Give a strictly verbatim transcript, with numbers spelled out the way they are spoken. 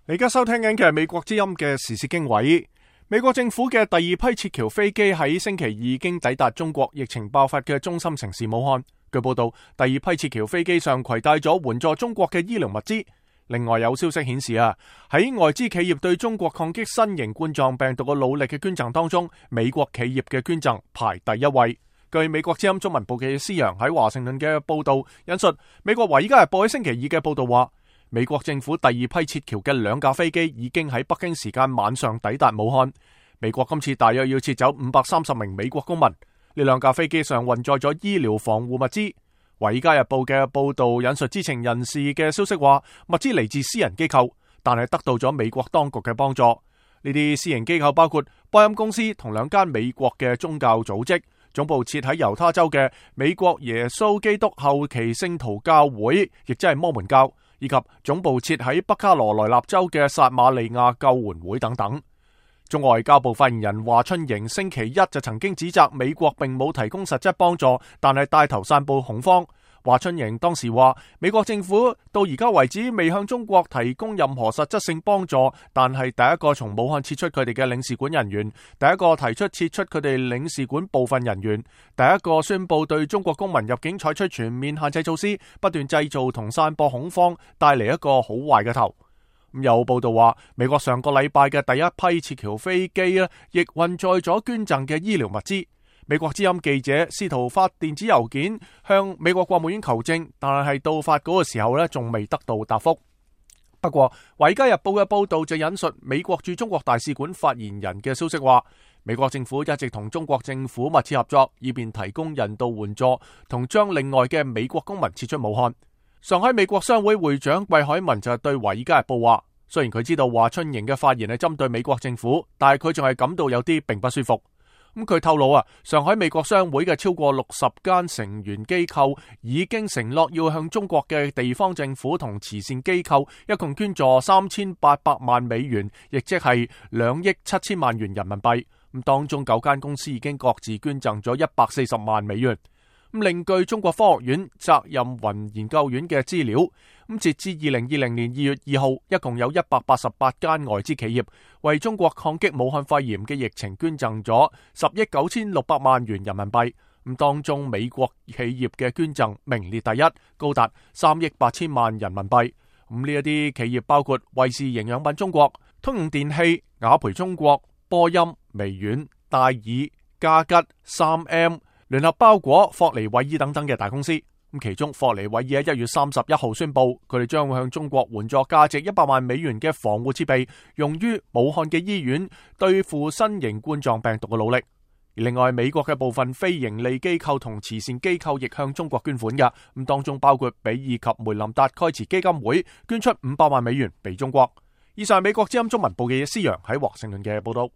你而家收聽緊嘅係美國之音嘅時事經緯。美國政府嘅第二批撤僑飛機喺星期二已經抵達中國疫情爆發嘅中心城市武漢。據報道，第二批撤僑飛機上攜帶咗援助中國嘅醫療物資。另外有消息顯示啊，喺外資企業對中國抗擊新型冠狀病毒嘅努力嘅捐贈當中，美國企業嘅捐贈排第一位。據美國之音中文部記者施洋喺華盛頓嘅報道引述，美國華爾街日報喺星期二嘅報道話，美國政府第二批撤僑嘅兩架飛機已經喺北京時間晚上抵達武漢。美國今次大約要撤走五百三十名美國公民。呢兩架飛機上運載咗醫療防護物資。華爾街日報嘅報道引述知情人士嘅消息話，物資嚟自私人機構，但係得到咗美國當局嘅幫助。呢啲私營機構包括波音公司同兩間美國嘅宗教組織，總部設喺猶他州嘅美國耶穌基督後期聖徒教會，亦即係摩門教，以及總部設喺北卡羅來納州嘅撒瑪利亞救援會等等。中國外交部發言人華春瑩星期一就曾經指責美國並冇提供實質幫助，但係帶頭散布恐慌。華春瑩當時話，美國政府到而家為止未向中國提供任何實質性幫助，但係第一個從武漢撤出佢哋嘅領事館人員，第一個提出撤出佢哋領事館部分人員，第一個宣布對中國公民入境採取全面限制措施，不斷製造同散播恐慌，帶嚟一個好壞嘅頭。有報道話，美國上個禮拜嘅第一批撤僑飛機咧，亦運載咗捐贈嘅醫療物資。美國之音記者試圖發電子郵件向美國國務院求證，但係到發稿嘅時候咧，仲未得到答覆。不過，《華爾街日報》嘅報道就引述美國駐中國大使館發言人嘅消息話，美國政府一直同中國政府密切合作，以便提供人道援助同將另外嘅美國公民撤出武漢。上海美國商會會長季海文就對《華爾街日報》話，雖然佢知道華春瑩嘅發言係針對美國政府，但係佢仲係感到有啲並不舒服。咁佢透露啊，上海美國商會嘅超過六十間成員機構已經承諾要向中國嘅地方政府同慈善機構一共捐助三千八百萬美元，亦即係兩億七千萬元人民幣。咁當中九間公司已經各自捐贈咗一百四十萬美元。咁另據中國科學院責任雲研究院嘅資料，咁截至二零二零年二月二號，一共有一百八十八間外資企業為中國抗擊武漢肺炎嘅疫情捐贈咗十億九千六百萬元人民幣。咁當中美國企業嘅捐贈名列第一，高達三億八千萬人民幣。咁呢一啲企業包括衛士營養品中國、通用電器、雅培中國、波音、微軟、戴爾、嘉吉、三 M、聯合包裹、霍尼韋爾等等嘅大公司。咁其中霍尼韋爾喺一月三十一號宣布，佢哋將會向中國援助價值一百萬美元嘅防護設備，用於武漢嘅醫院對付新型冠狀病毒嘅努力。而另外，美國嘅部分非盈利機構同慈善機構亦向中國捐款嘅，咁當中包括比爾及梅林達蓋茨基金會捐出五百萬美元俾中國。以上係美國之音中文部嘅施洋喺華盛頓嘅報道。